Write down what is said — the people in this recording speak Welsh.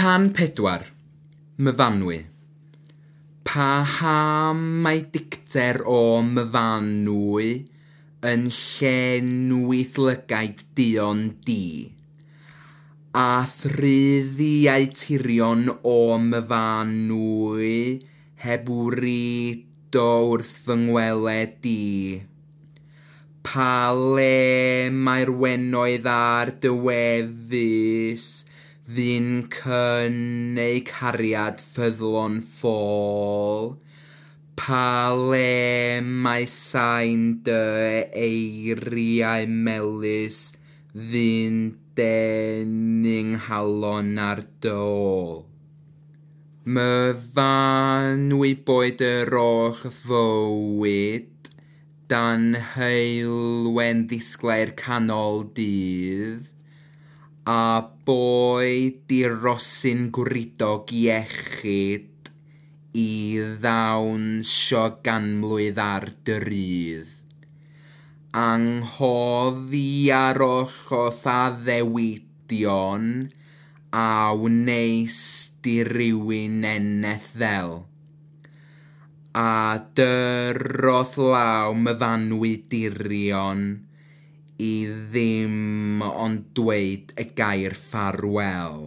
Can 4. Myfanwy. Paham mae dicter o Myfanwy yn llenwi'th lygaid duon di? A thruddiau tirion o Myfanwy heb wrido wrth fy ngweled i? Pa le mae'r wenoedd ar dy wefus fu'n cynneu cariad ffyddlon ffôl? Pa le mae sain dy eiriau melys fu'n denu 'nghalon ar dy ôl? Myfanwy boed yr holl fywyd dan heulwen ddisglair canol dydd, a boed i rosyn gwridog iechyd i ddawnsio ganmlwydd ar dy rudd. Anghofia'r holl addewidion a wnes di rywun eneth ddel, a dyroth law Myfanwy dirion i ddim ond dweud y gair ffarwél.